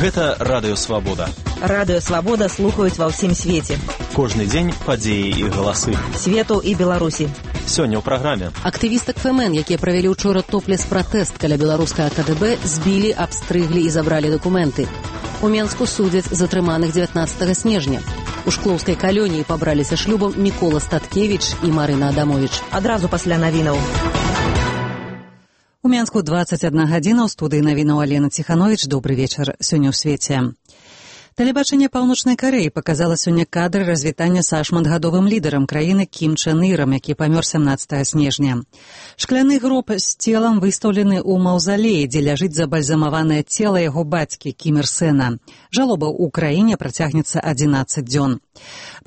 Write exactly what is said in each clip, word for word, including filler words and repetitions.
Гэта Радыё Свабода. Радыё Свабода слухаюць ва ўсім свеце. Кожны дзень падзеі і галасы. Свету і Беларусі. Сёння ў праграме. Актывістак ФМН, якія правялі ўчора топлес-пратэст каля беларускага КДБ, збілі, абстрыглі і забралі дакументы. У Менску судзяць затрыманых дзевятнаццатага снежня. У шклоўскай калоніі пабраліся шлюбам Мікола Статкевіч і Марына Адамовіч. Адразу пасля навінаў. У Менску дваццаць адна гадзіна, ў студыі навінаў Алена Ціхановіч. Добры вечар. Сёння ў свеце. Тэлебачанне Паўночнай Карэі паказала сёння кадры развітання са шматгадовым лідарам краіны Кім Чен Ірам, які памёр сямнаццатага снежня. Шкляны гроб з целам выстаўлены ў маўзалеі, дзе ляжыць забальзамаванае цела яго бацькі Кім Ір Сэна. Жалоба ў краіне працягнецца адзінаццаць дзён.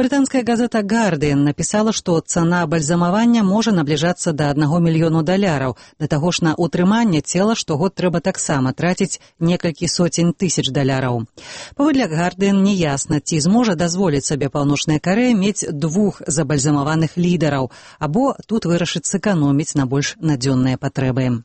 Брытанская газета «Гардыен» напісала, што цана бальзамавання можа набліжацца да аднаго мільёну даляраў. Да таго ж на ўтрыманне цела штогод трэба таксама траціць некалькі соцень тысяч даляраў. Паводле «Гардыен» неясна, ці зможа дазволіць сабе Паўночная Карэя мець двух забальзамаваных лідараў, або тут вырашыць сэканоміць на больш надзённыя патрэбы.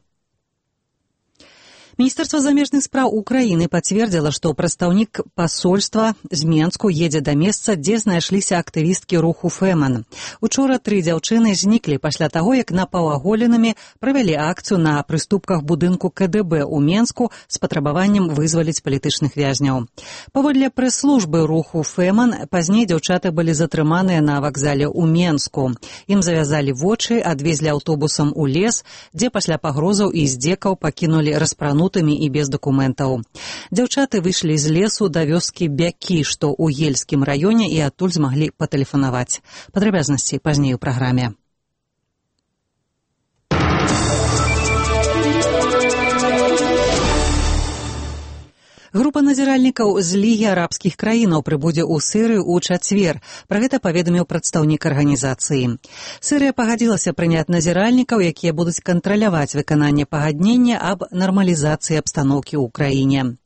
Міністэрства замежных спраў Украіны пацвердзіла, што прадстаўнік пасольства з Менску едзе да месца, дзе знайшліся актывісткі руху ФМН. Учора тры дзяўчыны зніклі пасля таго, як напаўаголенымі правялі акцыю на прыступках будынку КДБ ў Менску з патрабаваннем вызваліць палітычных вязняў. Паводле прэс-службы руху ФМН, пазней дзяўчаты былі затрыманыя на вакзале ў Менску. Ім завязалі вочы, адвезлі аўтобусам у лес, дзе пасля пагрозаў і здзекаў пакінулі распрануць і без дакументаў. Дзяўчаты выйшлі з лесу да вёскі Бякі, што ў Ельскім раёне, і адтуль змаглі патэлефанаваць. Падрабязнасці пазней у праграме. Група назіральнікаў з Лігі арабскіх краінаў прыбудзе ў Сірыю ў чацвер. Пра гэта паведаміў прадстаўнік арганізацыі. Сірыя пагадзілася прыняць назіральнікаў, якія будуць кантраляваць выкананне пагаднення аб нармалізацыі абстаноўкі ў краіне.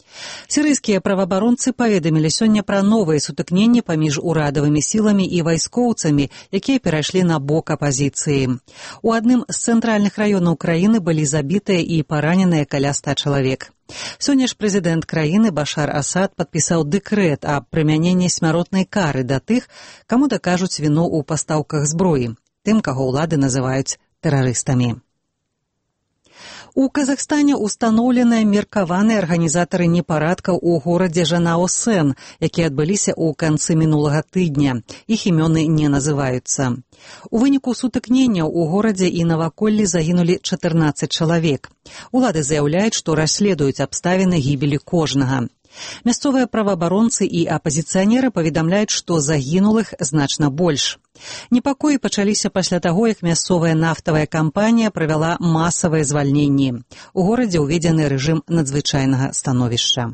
Сірыйскія праваабаронцы паведамілі сёння пра новыя сутыкненні паміж урадавымі сіламі і вайскоўцамі, якія перайшлі на бок апазіцыі. У адным з цэнтральных раёнаў краіны былі забітыя і параненыя каля ста чалавек. Сёння ж прэзідэнт краіны Башар Асад падпісаў дэкрэт аб прымяненні смяротнай кары да тых, каму дакажуць віну ў пастаўках зброі, тым, каго ўлады называюць тэрарыстамі. У Казахстане устаноўленыя меркаваныя арганізатары непарадкаў у горадзе Жанао-Сэн, якія адбыліся ў канцы мінулага тыдня. Іх імёны не называюцца. У выніку сутыкненняў у горадзе і наваколлі загінулі чатырнаццаць чалавек. Улады заяўляюць, што расследуюць абставіны гібелі кожнага. Мясцовыя праваабаронцы і апазіцыянеры паведамляюць, што загінулых значна больш. Непакоі пачаліся пасля таго, як мясцовая нафтавая кампанія правяла масавыя звальненні. У горадзе ўведзены рэжым надзвычайнага становішча.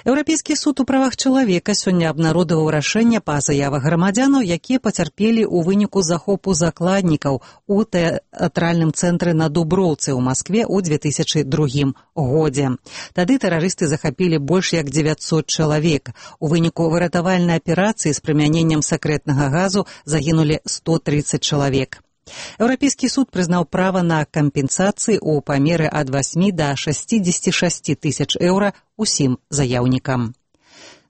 Еўрапейскі суд у правах чалавека сёння абнародаваў рашэнне па заявах грамадзянаў, якія пацярпелі ў выніку захопу закладнікаў у тэатральным цэнтры на Дуброўцы ў Маскве ў дзве тысячы другім годзе. Тады тэрарысты захапілі больш як дзевяцьсот чалавек. У выніку выратавальнай аперацыі з прымяненнем сакрэтнага газу загінулі сто трыццаць чалавек. Еўрапейскі суд прызнаў права на кампенсацыі ў памеры ад васьмі да шасцідзесяці шасці тысяч еўра усім заяўнікам.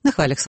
На хвалях